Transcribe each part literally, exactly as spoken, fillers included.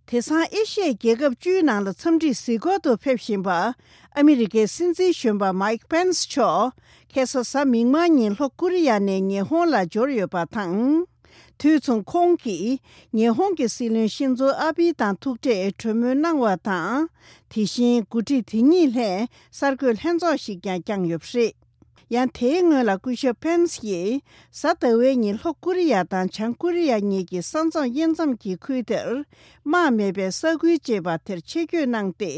དེང་སང་ཨེ་ཤི་ཡའི་རྒྱལ་ཁབ་བཅུའི་ནང་ལ་འཚམས་འདྲིར་གཟིགས་སྐོར་དུ་ཕེབས་བཞིན་པ། ཨ་མི་རི་ཀའི་སྲིད་འཛིན་གཞོན་པ་མཱིག་པེན་སི་མཆོག་ཁ་སང་གཟའ་མིག་དམར་ཉིན་ལྷོ་ཀོ་རི་ཡ་ནས་ཉི་ཧོང་ལ་འབྱོར་ཡོད་པ་དང་། དུས་མཚུངས་ཁོང་གིས་ཉི་ཧོང་གི་སྲིད་བློན་ཤིན་ཛོ་ཨ་བྷི་དང་ཐུག་འཕྲད་གྲོས་མོལ་གནང་བ་དང་། དེ་བཞིན་འགོ་ཁྲིད་དེ་གཉིས་ལྷན་གསར་འགོད་ལྷན་ཚོགས་ཤིག་ཀྱང་བསྐྱངས་ཡོད་པ་རེད། ཡང་དེའི་སྔོན་ལ་སྐུ་ཞབས་པེན་སི་ཡིས་གཟའ་ཟླ་བའི་ཉིན་ལྷོ་ཀོ་རི་ཡ་དང་བྱང་ཀོ་རི་ཡ་གཉིས་ཀྱི་ས་མཚམས་དབྱེ་མཚམས་ཀྱི་ཁུལ་དེར་དམག་མེད་པའི་ས་ཁུལ་ཅེས་པ་དེར་ཆེད་བསྐྱོད་གནང་སྟེ།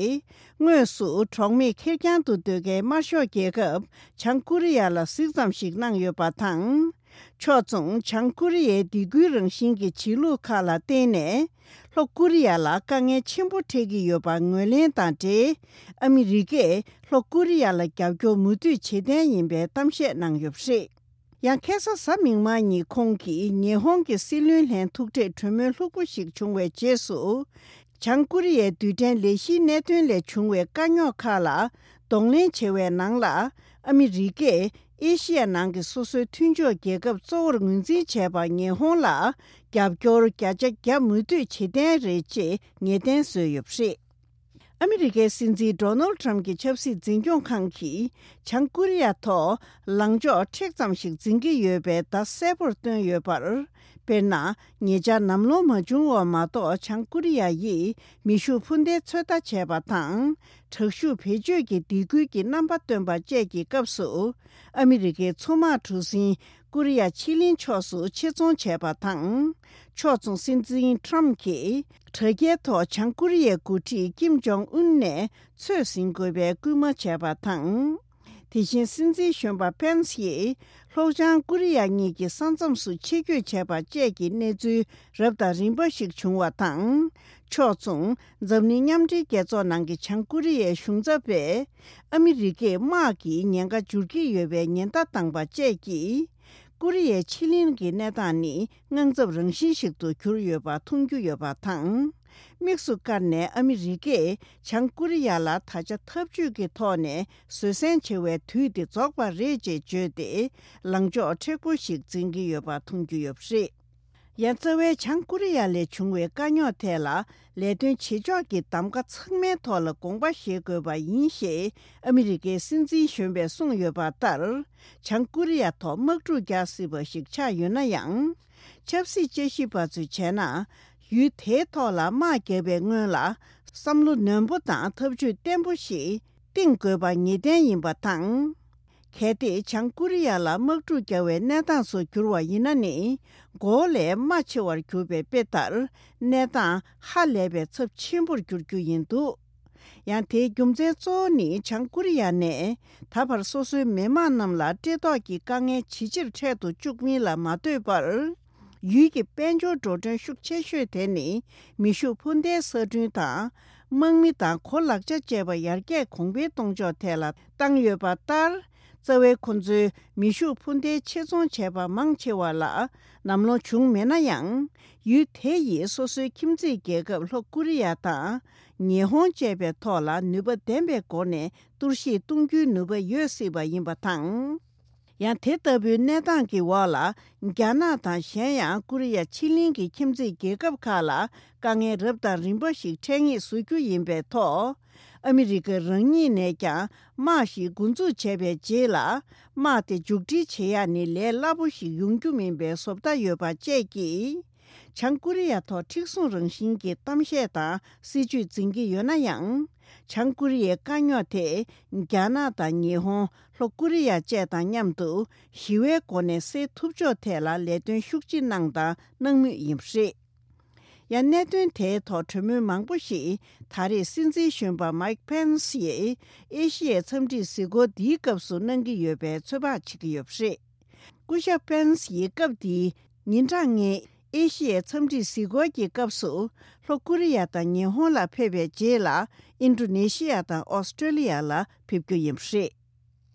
དངོས་སུ་གྲོགས་མེད་ཁེར་རྐྱང་དུ་སྡོད་མཁན་དམར་ཤོག་རྒྱལ་ཁབ་བྱང་ཀོ་རི་ཡ་ལ་གཟིགས་ཙམ་ཞིག་གནང་ཡོད་པ་དང་། ཕྱོགས་མཚུངས་བྱང་ཀོ་རི་ཡའི་སྡིགས་སྐུལ་རང་བཞིན་གྱི་བྱེད་ལུགས་ཁག་ལ་བརྟེན་ནས། ལྷོ་ཀོ་རི་ཡ་ལ་དཀའ་ངལ་ཆེན་པོ་འཕྲད་ཀྱི་ཡོད་པ་ངོས་ལེན་དང་འབྲེལ། ཨ་མི་རི་ཀས་ལྷོ་ཀོ་རི་ཡ་ལ་རྒྱབ་སྐྱོར་མུ་མཐུད་བྱེད་གཏན་ཡིན་པའི་གཏམ་བཤད་གནང་ཡོད་པ་རེད། ཡང་ཁ་སང་གཟའ་མིག་དམར་ཉིན་ཁོང་གིས་ཉི་ཧོང་གི་སྲིད་བློན་ལྷན་ཐུག་འཕྲད་གྲོས་མོལ་ལྷུག་པོ་ཞིག་བྱུང་བའི་རྗེས་སུ། བྱང་ཀོ་རི་ཡའི་རྡུལ་ཕྲན་ལས་གཞིའི་གནད་དོན་ལས་བྱུང་བའི་དཀའ་རྙོག་ཁག་ལ་གདོང་ལེན་བྱེད་པའི་ནང་ལ། ཨ་མི་རི་ཀས་ཨེ་ཤི་ཡ་ནང་གི་སོ་སོའི་མཐུན་ཕྱོགས་རྒྱལ་ཁབ་གཙོ་བོར་ངོས་འཛིན་བྱས་པ་ཉི་ཧོང་ལ་རྒྱབ་སྐྱོར་བརྒྱ་ཆ་བརྒྱ་མུ་མཐུད་བྱེད་གཏན་རེད་ཅེས་ངེས་གཏན་བཟོས་ཡོད་པ་རེད། ཨ་མི་རི་ཀའི་སྲིད་འཛིན་ཌོ་ནལ་ཊམ་གྱི་ཆབ་སྲིད་འཛིན་སྐྱོང་ཁང་གིས་བྱང་ཀོ་རི་ཡ་ཐོག་ལངས་ཕྱོགས་མཁྲེགས་ཙམ་ཞིག་འཛིན་གྱི་ཡོད་པའི་བརྡ་གསལ་པོར་བཏོན་ཡོད་པར། དཔེར་ན། ཉེ་ཆར་ནམ་ལངས་མ་བྱུང་བ་མ་གཏོགས་བྱང་ཀོ་རི་ཡ་ཡིས་མེ་ཤུགས་འཕུར་མདེལ་ཚོད་ལྟ་བྱས་པ་དང་། དྲག་ཤུགས་བེད་སྤྱོད་ཀྱི་སྡིགས་སྐུལ་གྱི་རྣམ་པ་བཏོན་པ་བཅས་ཀྱི་སྐབས་སུ། ཨ་མི་རི་ཀའི་མཚོ་དམག་གྲུ་གཟིངས་ཀོ་རི་ཡ་ཕྱེད་གླིང་ཕྱོགས་སུ་ཆེད་རྫོང་བྱས་པ་དང་། ཕྱོགས་མཚུངས་སྲིད་འཛིན་ཊམ་གྱིས་དྲ་རྒྱའི་ཐོག་བྱང་ཀོ་རི་ཡའི་འགོ་ཁྲིད་ཀིམ་ཇོང་ཨུན་ནས་ཚོད་ཟིན་དགོས་པའི་སྐུལ་མ་བྱས་པ་དང་། དེ་བཞིན་སྲིད་འཛིན་གཞོན་པ་པེན་སི་ཡིས་ལྷོ་བྱང་ཀོ་རི་ཡ་གཉིས་ཀྱི་ས་མཚམས་སུ་ཆེད་བསྐྱོད་བྱས་པ་བཅས་ཀྱི་གནས་ཚུལ་རབ་དང་རིམ་པ་ཞིག་བྱུང་བ་དང་། ཕྱོགས་མཚུངས་འཛམ་གླིང་མཉམ་འབྲེལ་རྒྱལ་ཚོགས་ནང་གི་བྱང་ཀོ་རི་ཡའི་གཞུང་ཚབ་པས་ཨ་མི་རི་ཀས་དམག་གི་ཉེན་ཁ་འབྱོར་གྱི་ཡོད་པའི་ཉེན་བརྡ་བཏང་པ་བཅས་ཀྱིས། ཀོ་རི་ཡའི་ཕྱེད་གླིང་གི་གནས་སྟངས་ནི་དངངས་འཚབ་རང་བཞིན་ཞིག་ཏུ་གྱུར་ཡོད་པ་མཐོང་རྒྱུ་ཡོད་པ་དང་། དམིགས་སུ་བཀར་ནས་ཨ་མི་རི་ཀས་བྱང་ཀོ་རི་ཡ་ལ་ད་ཆ་འཐབ་ཇུས་ཀྱི་ཐོག་ནས་བཟོད་བསྲན་བྱེད་པའི་དུས་དེ་རྫོགས་པ་རེད་ཅེས་བརྗོད་དེ། ལངས་ཕྱོགས་མཁྲེགས་པོ་ཞིག་འཛིན་གྱི་ཡོད་པ་མཐོང་རྒྱུ་ཡོད་པ་རེད། ཡང་རྩ་བའི་བྱང་ཀོ་རི་ཡ་ལས་བྱུང་བའི་དཀའ་རྙོག་ཐད་ལ་ལས་དོན་བྱེད་ཕྱོགས་ཀྱི་གདམ་ག་ཚང་མའི་ཐོག་ལ་དགོངས་པ་བཞེས་དགོས་པ་ཡིན་ཞེས་ཨ་མི་རི་ཀའི་སྲིད་འཛིན་གཞོན་པས་གསུངས་ཡོད་པ་ལྟར། བྱང་ཀོ་རི་ཡ་ཐོག་དམག་འཁྲུག་རྒྱག་སྲིད་པ་ཞིག་ཆགས་ཡོད་ན་ཡང་། ཆབ་སྲིད་དཔྱད་ཞིབ་པ་ཚོས་བྱས་ན། ཡུལ་དེའི་ཐོག་ལ་དམག་བརྒྱབ་པའི་སྔོན་ལ་བསམ་བློ་ནན་པོ་དང་ཐབས་ཇུས་བརྟན་པོ་ཞིག་བཏིང་དགོས་པ་ངེས་གཏན་ཡིན་པ་དང་། གལ་ཏེ་བྱང་ཀོ་རི་ཡ་ལ་དམག་འཁྲུག་རྒྱག་པའི་གནས་སྟངས་སུ་གྱུར་བ་ཡིན་ན་ནི། མགོ་བོ་ལས་རྨ་ཆེ་བར་གྱུར་པའི་དཔེ་ལྟར། གནས་སྟངས་ཧ་ལས་པའི་ཚབས་ཆེན་པོར་འགྱུར་རྒྱུ་ཡིན་འདུག་ཡང་དེའི་རྒྱུ་མཚན་གཙོ་བོ་ནི་བྱང་ཀོ་རི་ཡ་ནས་ད་བར་སོ་སོའི་མི་དམངས་རྣམས་ལ་བཀྲེས་ལྟོགས་ཀྱི་དཀའ་ངལ་ཇེ་ཆེར་འཕྲད་དུ་བཅུག་མིན་ལ་མ་ལྟོས་པར། ཡུལ་གྱི་དཔལ་འབྱོར་འགྲོ་གྲོན་ཤུགས་ཆེ་ཤོས་དེ་ནི་མེ་ཤུགས་འཕུར་མདེལ་གསར་སྐྲུན་དང་། དམག་མི་དང་གོ་ལག་ཆ་བཅས་པ་ཡར་རྒྱས་གོང་འཕེལ་གཏོང་ཕྱོགས་ཐད་ལ་བཏང་ཡོད་པ་ལྟར། རྩ་བའི་ཁོ་ཚོའི་མེ་ཤུགས་འཕུར་མདེལ་ཆེད་རྫོང་བྱས་པ་མང་ཆེ་བ་ལ་ནམ་ལངས་བྱུང་མེད་ན་ཡང་། ཡུལ་དེ་ཡིས་སོ་སོའི་ཁྱིམ་མཚེས་རྒྱལ་ཁབ་ལྷོ་ཀོ་རི་ཡ་དང་། ཉི་ཧོང་བཅས་པའི་ཐོག་ལ་ནུས་པ་ལྡན་པའི་སྒོ་ནས་གཏོར་བཤིག་གཏོང་རྒྱུའི་ནུས་པ་ཡོད་སྲིད་པ་ཡིན་པ་དང་། ཡང་དེ་ལྟ་བུའི་གནས་སྟངས་ཀྱི་འོག་ལ། རྒྱ་ནག་དང་གཞན་ཡང་ཀོ་རི་ཡ་ཕྱེད་གླིང་གི་ཁྱིམ་མཚེས་རྒྱལ་ཁབ་ཁག་ལ་དཀའ་ངལ་རབ་དང་རིམ་པ་ཞིག་འཕྲད་ངེས་བཟོ་རྒྱུ་ཡིན་པའི་ཐོག་ཨ་མི་རི་ཀ་རང་ཉིད་ནས་ཀྱང་དམག་ཞིག་འགོ་འཛུགས་བྱས་པའི་རྗེས་ལ། དམག་དེ་མཇུག་སྒྲིལ་བྱེད་ཡག་ནི་ལས་སླ་པོ་ཞིག་ཡོང་རྒྱུ་མིན་པའི་བཟོ་ལྟ་ཡོད་པ་བཅས་ཀྱིས། བྱང་ཀོ་རི་ཡ་ཐོག་མཁྲེགས་བཟུང་རང་བཞིན་གྱི་གཏམ་བཤད་དང་སྲིད་ཇུས་འཛིན་གྱི་ཡོད་ན་ཡང་། བྱང་ཀོ་རི་ཡའི་དཀའ་རྙོག་དེ་རྒྱ་ནག་དང་ཉི་ཧོང་། ལྷོ་ཀོ་རི་ཡ་བཅས་དང་མཉམ་དུ་ཞི་བའི་སྒོ་ནས་སེལ་ཐུབ་ཕྱོགས་ཐད་ལ་ལས་དོན་ཤུགས་ཆེ་གནང་དང་གནང་མུས་ཡིན་པ་རེད། ཡང་གནད་དོན་དེའི་ཐོག་གྲོས་མོལ་མང་པོ་ཞིག་ད་རེས་སྲིད་འཛིན་གཞོན་པ་མཱིག་པེན་སི་ཡིས་ཨེ་ཤི་ཡའི་འཚམས་འདྲིའི་གཟིགས་སྐོར་འདིའི་སྐབས་སུ་གནང་གི་ཡོད་པའི་ཚོད་དཔག་བྱེད་ཀྱི་ཡོད་པ་རེད། སྐུ་ཞབས་པེན་སི་ཡིས་སྐབས་འདིའི་ཉིན་གྲངས་ལྔའི་ཨེ་ཤི་ཡའི་འཚམས་འདྲིའི་གཟིགས་སྐོར་གྱི་སྐབས་སུ། ལྷོ་ཀོ་རི་ཡ་དང་ཉི་ཧོང་ལ་ཕེབས་པའི་རྗེས་ལ། ཨིན་ཌོ་ནེ་ཤི་ཡ་དང་ཨོ་སི་ཀྲོ་ལི་ཡ་ལ་ཕེབས་རྒྱུ་ཡིན་པ་རེད།